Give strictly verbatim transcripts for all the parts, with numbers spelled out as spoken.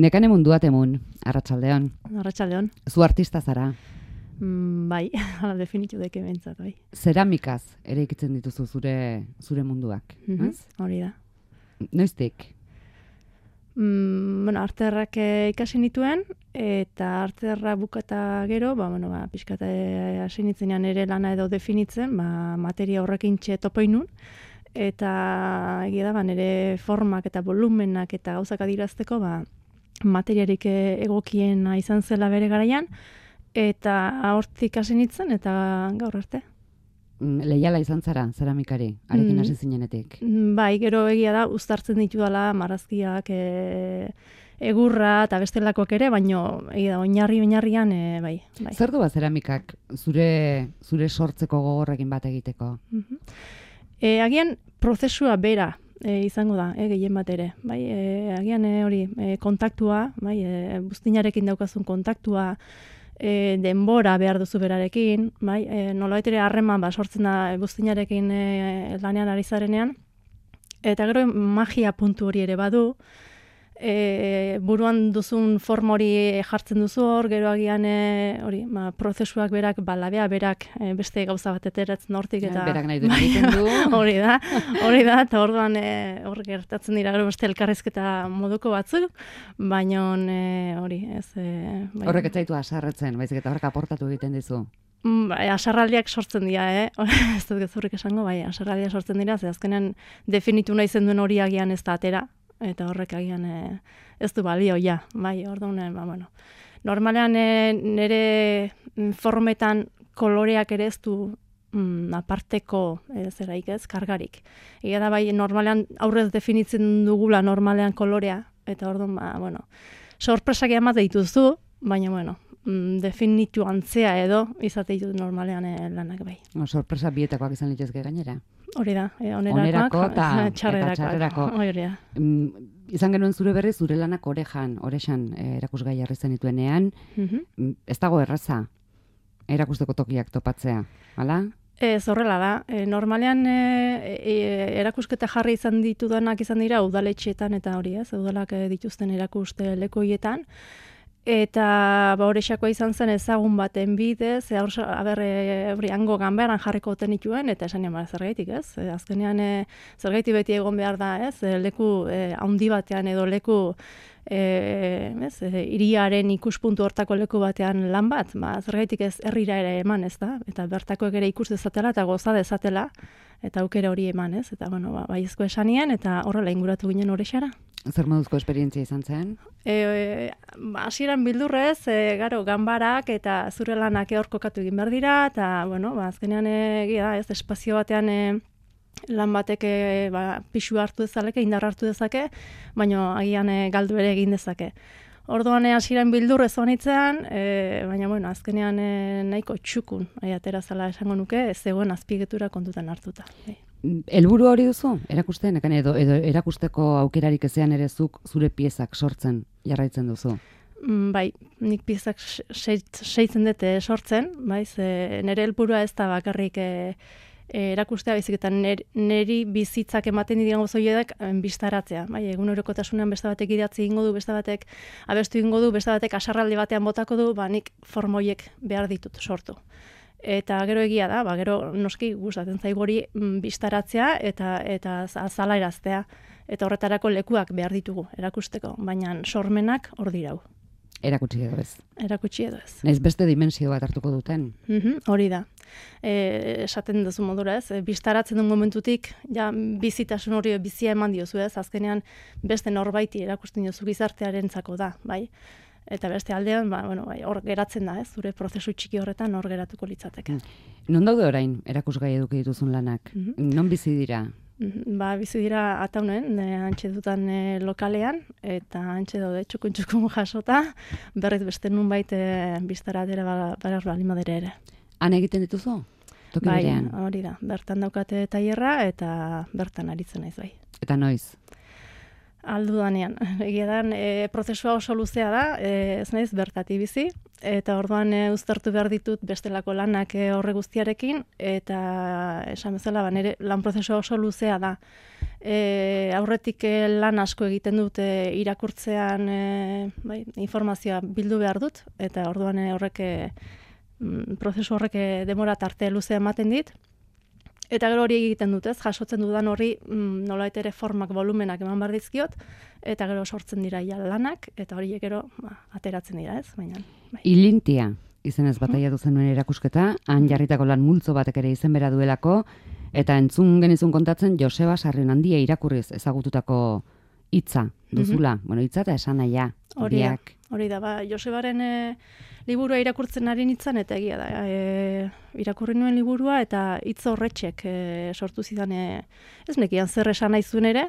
Nekane mundua temun, arratsaldeon. Arratsaldeon. Zu artista zara. Mm, bai, hala definitu deke bentsat, bai. Zeramikaz ere ikitzen dituzu zure zure munduak, Mhm, ez? Hori da. Noiztik? Mm, bueno, arterrak eh, ikasi nituen, eta arterra bukata gero, ba, bueno, ba, pixkat eh, hasi nitzenean ere lana edo definitzen, ba, materia horrekin txe topoinun, eta egia da, ba, nire formak eta volumenak eta gauzak adirazteko, ba, materiarik eh, egokiena izan zela bere garaian, eta hortik hasi nintzen, eta gaur arte. Mm, Leiala izan zara, zeramikari, arekin Mm. hasi zinenetik. Mm, Bai, gero egia da, uztartzen ditudala marrazkiak, e, egurra eta bestelakoak ere, baino egia da, oinarri oinarrian, e, bai. bai. Zer du ba zeramikak zure zure sortzeko gogorrekin bat egiteko? Mhm. E, agian prozesua bera e, izango da, e, gehien bat ere. Bai, e, agian e, hori e, kontaktua, bai, e, buztinarekin daukazun kontaktua, e, denbora behar duzu berarekin, bai, e, nolabait ere harreman ba, sortzen da buztinarekin e, lanean ari zarenean, eta gero magia puntu hori ere badu, e, buruan duzun form hori jartzen duzu hor, gero agian e, hori, ba, prozesuak berak, ba, labea berak e, beste gauza bat eteratzen hortik, eta Berak nahi duen egiten du. hori da, hori da, eta orduan e, hor gertatzen dira gero beste elkarrizketa moduko batzuk, baina e, hori, ez... E, bai. Horrek ez zaitu haserretzen, baizik eta horrek aportatu egiten dizu. Mm, Bai, asarraldiak sortzen dira, eh? Ez dut gezurrik esango, bai, asarraldiak sortzen dira, ze azkenean definitu nahi zen duen hori agian ez da atera, eta horrek agian e, ez du balio, ja, bai, orduan, e, ba, bueno. Normalean e, nire formetan koloreak ere ez du mm, aparteko e, zeraik ez, kargarik. Egia da, bai, normalean aurrez definitzen dugula normalean kolorea, eta orduan, ba, bueno, sorpresak eman dituzu, baina, bueno, definitu antzea edo izate ditut normalean e, lanak bai. O, sorpresa bietakoak izan litezke gainera. Hori da, e, Onerako onerakoak, eta eta txarrerakoak. txarrerako. Hori da. Mm, izan genuen zure berri zure lanak orejan, oresan eh, erakusgai jarri zenituenean, Mhm. mm, ez dago erraza erakusteko tokiak topatzea, hala? Ez horrela da. E, normalean e, e, erakusketa jarri izan ditudanak izan dira udaletxeetan eta hori ez, udalak e, dituzten erakuste lekoietan. Eta ba, horrexakoa izan zen ezagun baten bidez, e, hor, aber, e, hori hango ganberan jarriko oten ituen, eta esan ba, zergaitik ez? E, azkenean e, zergaitik beti egon behar da ez? E, leku e, handi batean edo leku e, ez? E, hiriaren ikuspuntu hortako leku batean lan bat, ba, zergaitik ez herrira ere eman ez da, eta bertakoek ere ikus dezatela eta goza dezatela, eta aukera hori eman ez, eta bueno, ba, baiezko esanien, eta horrela inguratu ginen horrexara. Zer moduzko esperientzia izan zen? E, ba, hasieran bildurrez, e, garo, ganbarak eta zure lanak hor kokatu egin behar dira, eta, bueno, ba, azkenean egia da, ez, espazio batean e, lan batek e, ba, pixu hartu dezaleke, indar hartu dezake, baina agian e, galdu ere egin dezake. Orduan e, hasieran bildurrez honitzean, e, baina, bueno, azkenean e, nahiko txukun, ai, atera zela esango nuke, ez zegoen azpiegitura kontutan hartuta. E. Helburu hori duzu? Erakusten, ekan edo, edo erakusteko aukerarik ezean ere zuk zure piezak sortzen jarraitzen duzu? Mm, bai, nik piezak seitzen dute sortzen, bai, ze nire helburua ez da bakarrik e, e, erakustea, baizik eta niri bizitzak ematen diren gozoiedak bistaratzea. Bai, egunerokotasunean beste batek idatzi egingo du, beste batek abestu egingo du, beste batek asarraldi batean botako du, ba nik formoiek behar ditut sortu. Eta gero egia da, ba, gero noski gustatzen zaigu hori bistaratzea eta eta azalaraztea. Eta horretarako lekuak behar ditugu erakusteko, baina sormenak hor dirau. Erakutsi edo ez. Erakutsi edo ez. Naiz beste dimensio bat hartuko duten. Mhm, hori da. E, esaten duzu modura ez, e, bistaratzen duen momentutik, ja, bizitasun hori bizia eman diozu ez, azkenean beste norbaiti erakusten diozu gizartearentzako da, bai? Eta beste aldean, ba, bueno, bai, hor geratzen da, ez, zure prozesu txiki horretan hor geratuko litzateke. Non daude orain erakusgai eduki dituzun lanak? Mm-hmm. Non bizi dira? Mm-hmm. Ba, bizi dira ataunen, e, antxe dutan e, lokalean, eta antxe daude txukun-txukun jasota, berriz beste nunbait e, biztara atera barar balimadere ere. Han egiten dituzu? Toki bai, berean? Hori da, bertan daukate tailerra eta bertan aritzen naiz bai. Eta noiz? Aldu danean. Egia da, e, prozesua oso luzea da, e, ez naiz bertati bizi, eta orduan e, uztartu behar ditut bestelako lanak e, horre guztiarekin, eta esan bezala, ba, nire lan prozesua oso luzea da. E, aurretik lan asko egiten dut e, irakurtzean e, bai, informazioa bildu behar dut, eta orduan e, horrek e, prozesu horrek e, demora tarte luzea ematen dit. Eta gero hori egiten dut, ez? Jasotzen dudan horri mm, nolait ere formak, volumenak eman behar dizkiot, eta gero sortzen dira ja lanak, eta horiek gero ba, ateratzen dira, ez? Baina, bai. Ilintia izenez bataia duzen nuen erakusketa, han jarritako lan multzo batek ere izen bera duelako, eta entzun genizun kontatzen Joseba Sarrionandia irakurriz ezagututako hitza duzula. Mm-hmm. Bueno, hitza eta esan naia. Hori da, hori da. Ba, Josebaren e, liburua irakurtzen ari nintzen, eta egia da. E, irakurri nuen liburua, eta hitz horretxek e, sortu zidan, e, ez nekian zer esan nahi zuen ere,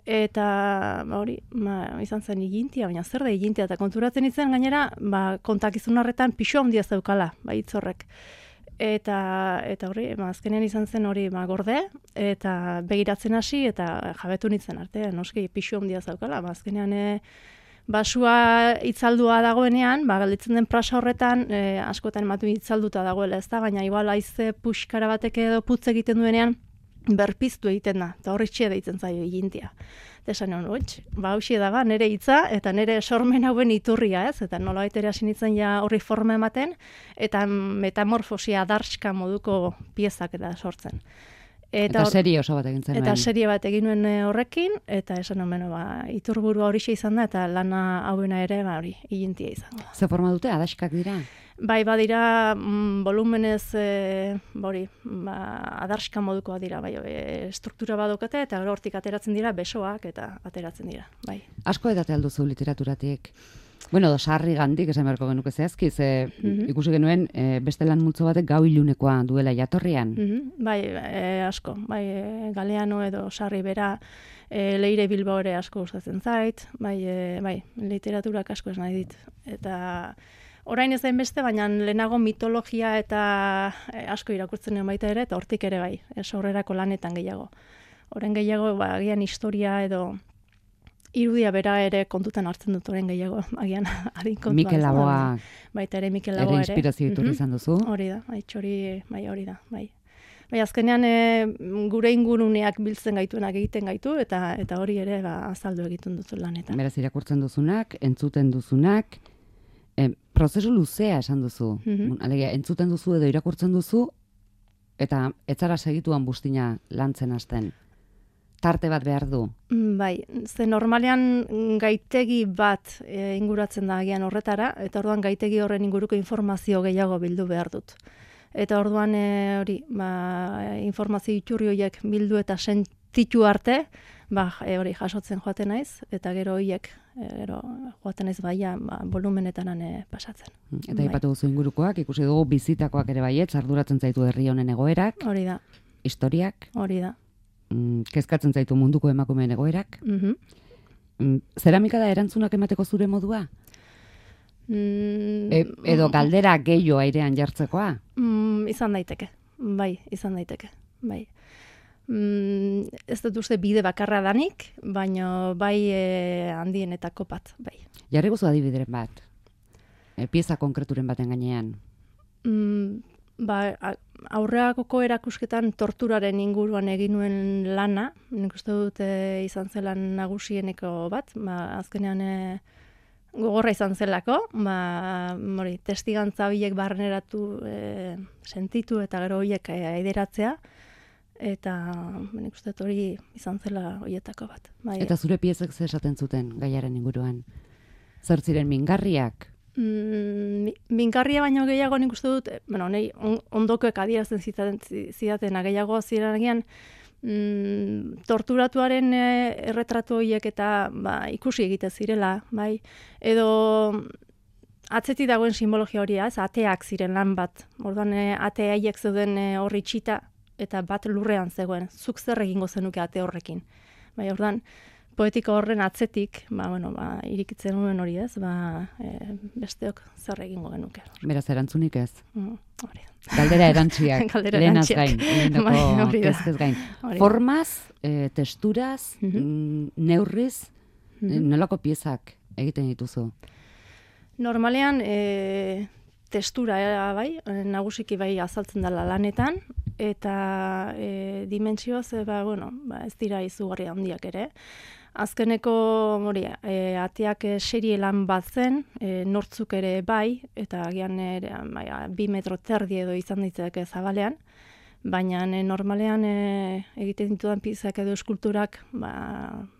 eta ba, hori, ba, izan zen igintia, baina zer da igintia, eta konturatzen izen gainera, ba, kontakizun horretan pixo handia zeukala, ba, hitz horrek. Eta, eta hori, ba, azkenean izan zen hori ba, gorde, eta begiratzen hasi, eta jabetu nintzen arte, noski pixu handia zaukala, ba, azkenean e, basua itzaldua dagoenean, ba, galditzen den prasa horretan, e, askotan ematu itzalduta dagoela, ez da, baina igual haize puxkara batek edo putz egiten duenean, berpiztu egiten da, eta horri txea deitzen zaio igintia. Eta esan hon, oitz, ba, hausia da, ba, nire hitza, eta nire sormen hauen iturria, ez, eta nola baitere hasi nintzen ja horri forma ematen, eta metamorfosia adarska moduko piezak eta sortzen. Eta, eta serie oso bat egin zen. Eta serie bat egin nuen horrekin, eta esan hon, ba, iturburua horixe izan da, eta lana hauena ere, ba, hori, igintia izango da. Ze forma dute, adaskak dira? Bai, badira, mm, volumenez, e, bori, ba, adarska modukoa dira, bai, e, struktura badokate, eta gero hortik ateratzen dira, besoak, eta ateratzen dira, bai. Asko edate alduzu literaturatik. Bueno, Sarri gandik, esan beharko genuke zehazki, ze mm-hmm. ikusi genuen, e, beste lan multzo batek gau ilunekoa duela jatorrian. Mm-hmm. Bai, e, asko, bai, e, Galeano edo Sarri bera, e, Leire Bilbao ere asko gustatzen zait, bai, e, bai, literaturak asko ez nahi dit, eta orain ez da beste, baina lehenago mitologia eta e, asko irakurtzen nuen baita ere, eta hortik ere bai, sorrerako lanetan gehiago. Orain gehiago, ba, agian historia edo irudia bera ere kontutan hartzen dut orain gehiago, agian adin kontuan. Mikel Laboa. Baita ere Mikel Laboa ere. Ere inspirazio iturri izan duzu. Hori da, bai, txori, bai, hori da, bai. Bai, azkenean e, gure inguruneak biltzen gaituenak egiten gaitu, eta eta hori ere ba, azaldu egiten duzu lanetan. Beraz, irakurtzen duzunak, entzuten duzunak, E, prozesu luzea esan duzu. Mm-hmm. Alegia, entzuten duzu edo irakurtzen duzu, eta etzara segituan bustina lantzen hasten. Tarte bat behar du. Bai, ze normalean gaitegi bat e, inguratzen da agian horretara, eta orduan gaitegi horren inguruko informazio gehiago bildu behar dut. Eta orduan e, hori, ba, informazio iturri horiek bildu eta sentitu arte, ba, e, hori jasotzen joaten naiz, eta gero horiek e, gero joaten naiz baia ba, volumenetan e, pasatzen. Eta aipatu duzu ingurukoak, ikusi dugu bizitakoak ere baietz, arduratzen zaitu herri honen egoerak. Hori da. Historiak. Hori da. Mm, kezkatzen zaitu munduko emakumeen egoerak. Mm-hmm. Mm, zeramika da erantzunak emateko zure modua? Mm, e, edo galdera gehiago airean jartzekoa? Mm, izan daiteke. Bai, izan daiteke. Bai. Mm, ez dut uste bide bakarra danik, baina bai e, handienetako bat, bai. Jarri guzu adibideren bat, e, pieza konkreturen baten gainean. Mm, ba, aurreakoko erakusketan torturaren inguruan egin nuen lana, nik uste dut e, izan zelan nagusieneko bat, ba, azkenean e, gogorra izan zelako, ba, mori, testigantza horiek barneratu e, sentitu eta gero horiek e, aideratzea, eta nik uste dut hori izan zela horietako bat. Bai. Eta zure piezek ze esaten zuten gaiaren inguruan? Zer ziren mingarriak? Mm, mingarria baino gehiago nik uste dut, bueno, nahi on, ondokoek adierazten zidaten gehiago ziren agian, mm, torturatuaren e, erretratu horiek eta ba, ikusi egite zirela, bai, edo atzeti dagoen simbologia hori, ez, ateak ziren lan bat, orduan e, ate haiek zeuden e, horri txita, eta bat lurrean zegoen, zuk zer egingo zenuke ate horrekin. Bai, orduan, poetika horren atzetik, ba, bueno, ba, irikitzen nuen hori ez, ba, e, besteok zer egingo genuke. Beraz, erantzunik ez? Mm, hori. Galdera erantziak, lehenaz gain, lehenako kezkez gain. Formaz, e, testuraz, mm-hmm. neurriz, mm-hmm. nolako piezak egiten dituzu? Normalean, e, testura era bai, nagusiki bai azaltzen dela lanetan, eta e, dimentsioz, e, ba, bueno, ba, ez dira izugarri handiak ere. Azkeneko hori, e, ateak e, serie lan bat zen, e, nortzuk ere bai, eta agian ere, bai, bi metro terdi edo izan ditzake zabalean, baina e, normalean e, egiten ditudan piezak edo eskulturak ba,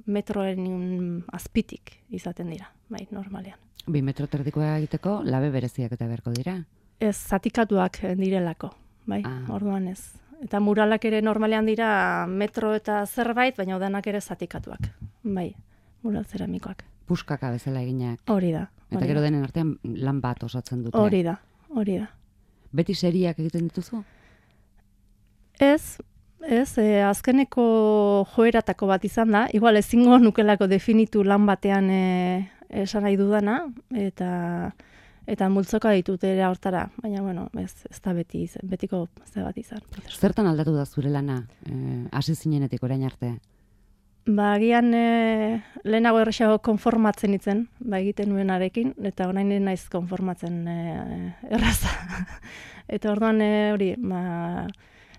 metroen azpitik izaten dira, bai, normalean. Bi metro terdikoa egiteko, labe bereziak eta beharko dira? Ez, zatikatuak direlako, bai, ah. Orduan ez. Eta muralak ere normalean dira metro eta zerbait, baina odanak ere zatikatuak. Bai, mural zeramikoak. Puskaka bezala eginak. Hori da. Eta hori gero da. denen artean lan bat osatzen dute. Hori da, hori da. Beti seriak egiten dituzu? Ez, ez, e, azkeneko joeratako bat izan da. Igual ezingo nukelako definitu lan batean e, esan nahi dudana, eta... Eta multzoka ditut ere hortara, baina bueno, ez, ez da beti izan, betiko ze bat izan. Zertan aldatu da zure lana, hasi e, zinenetik orain arte? Ba, agian e, lehenago erresago konformatzen itzen, ba, egiten nuenarekin, eta orain naiz konformatzen e, erraza. Eta orduan e, hori, ba,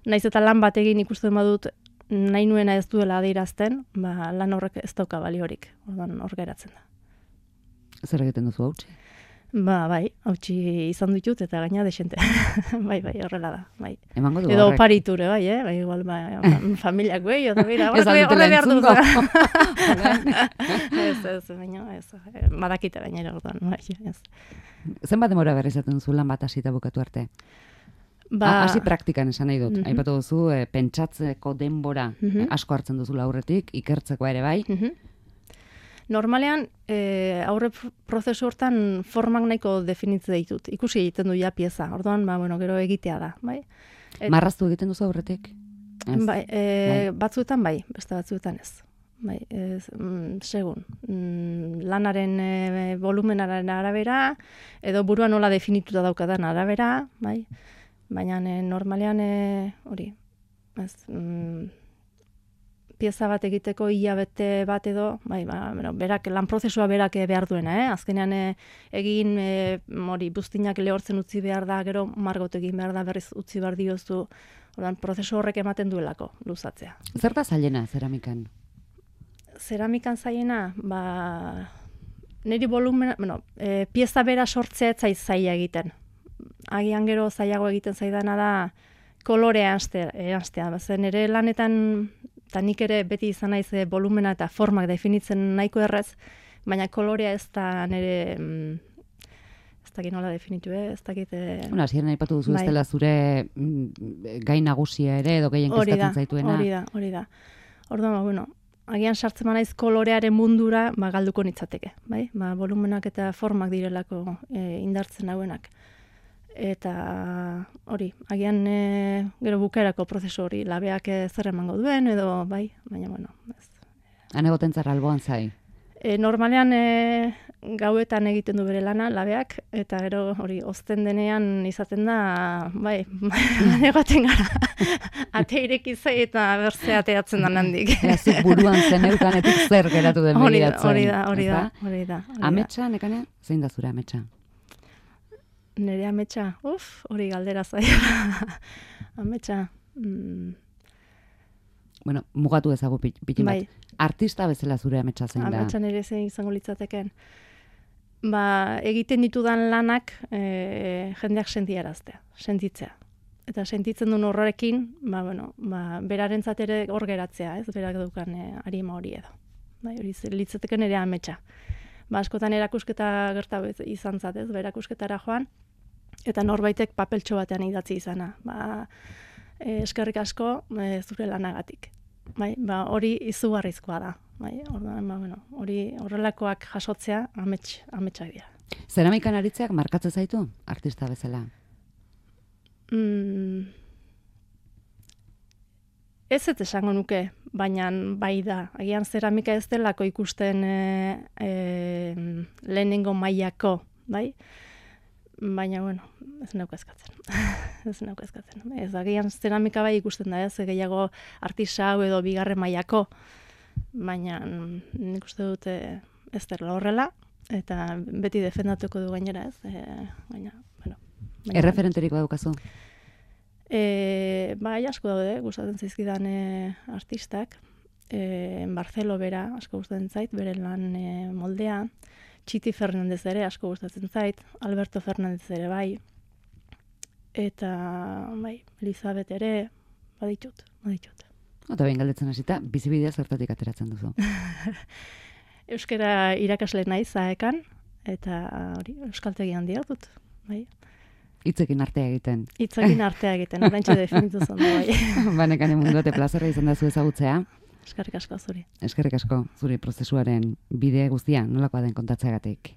naiz eta lan bat egin ikusten badut, nahi nuena ez duela adierazten, ba, lan horrek ez dauka baliorik, orduan hor geratzen da. Zer egiten duzu hautsi? Ba, bai, hautsi izan ditut eta gaina desente. bai, bai, horrela da, bai. Emango du edo horrek. Pariture, bai, eh? Bai, igual, ba, familiak bai, edo bera, Ez horre aldutela behar dut. entzungo. ez, ez, baina, ez, badakite baina ere orduan, bai, ez. Zenbat demora berri izaten duzu lan bat hasita bukatu arte? Ba, Hasi praktikan esan nahi dut. Mhm. Aipatu duzu, e, pentsatzeko denbora Mhm. e, asko hartzen duzu aurretik, ikertzeko ere bai. Mhm. Normalean, e, aurre prozesu hortan formak nahiko definitze ditut. Ikusi egiten du ja pieza. Orduan, ba, bueno, gero egitea da, bai? Et, Marraztu egiten duzu aurretik? Ez. bai, e, batzuetan bai, beste batzuetan ez. Bai, ez, mm, segun. Mm, lanaren e, volumenaren arabera, edo burua nola definituta daukadan arabera, bai? Baina e, normalean e, hori, ez, mm, pieza bat egiteko hilabete bat edo, bai, ba, bueno, berak, lan prozesua berak behar duena, eh? Azkenean e, egin e, hori buztinak lehortzen utzi behar da, gero margot egin behar da, berriz utzi behar diozu, ordan prozesu horrek ematen duelako luzatzea. Zer da zailena zeramikan? Zeramikan zailena, ba, niri volumena, bueno, e, pieza bera sortzea ez zait zaila egiten. Agian gero zailago egiten zaidana da kolorea erastea. Zen ere lanetan, eta nik ere beti izan naiz e, volumena eta formak definitzen nahiko errez, baina kolorea ez da nire, mm, ez dakit nola definitu, eh? ez dakit... E, Bueno, hasieran aipatu duzu bai. ez dela zure mm, gai nagusia ere, edo gehien hori da, kezkatzen zaituena. hori da, hori da. Orduan, ba, bueno, agian sartzen naiz kolorearen mundura, ba, galduko nitzateke, bai? Ba, volumenak eta formak direlako e, indartzen hauenak. Eta hori, agian e, gero bukaerako prozesu hori, labeak e, zer emango duen, edo bai, baina bueno, ez. Han egoten zara alboan zai. E, normalean e, gauetan egiten du bere lana, labeak, eta gero hori, ozten denean izaten da, bai, egoten gara, ate ireki zai eta berze ateatzen da handik. Ea, zuk buruan zeneukanetik zer geratu den Hori da, begiratzen. hori da, hori da, ezta? hori da. hori da. Ametsa, nekane? Zein da zure ametsa? Nere ametsa, uf, hori galdera zaila. ametsa, mm, Bueno, mugatu ezagu pit- pitin bat. bai, Artista bezala zure ametsa zein da? ametsa nere zein izango litzateken. Ba, egiten ditudan lanak e, jendeak sentiaraztea, sentitzea. Eta sentitzen duen horrekin, ba, bueno, ba, berarentzat ere hor geratzea, ez, berak dukan e, arima hori edo. Bai, hori ze- litzateken ere ametsa. Ba, askotan erakusketa gerta izan zat, ez, ba, erakusketara joan, eta norbaitek papeltxo batean idatzi izana. Ba, e, eskerrik asko e, zure lanagatik. Bai, ba, hori izugarrizkoa da. Bai, orduan, ba, bueno, hori horrelakoak jasotzea amets, ametsak dira. Zeramikan aritzeak markatzen zaitu artista bezala? Mm, ez ez esango nuke, baina bai da. Agian zeramika ez delako ikusten e, e, lehenengo mailako, bai? Baina, bueno, ez nauka eskatzen. ez nauka eskatzen. Ez, agian zeramika bai ikusten da, ez, gehiago artisau edo bigarren mailako, baina nik uste dute ez dela horrela, eta beti defendatuko du gainera, ez, e, baina, bueno, Erreferenterik badukazu? E, bai, asko daude, gustatzen zaizkidan e, artistak. E, Barcelo bera, asko gustatzen zait, bere lan e, moldea. Txiti Fernandez ere, asko gustatzen zait. Alberto Fernandez ere, bai. Eta, bai, Elizabeth ere, baditut, baditut. Eta behin galdetzen hasita, bizibidea zertatik ateratzen duzu? Euskara irakasle naiz zaekan, eta hori, euskaltegi handia dut, bai. Hitzekin artea egiten. Hitzekin artea egiten, oraintxe definitu zen da, bai. Banekane munduate plazerra izan da zu ezagutzea. Eskerrik asko zuri. Eskerrik asko zuri prozesuaren bide guztia, nolakoa den kontatzeagatik.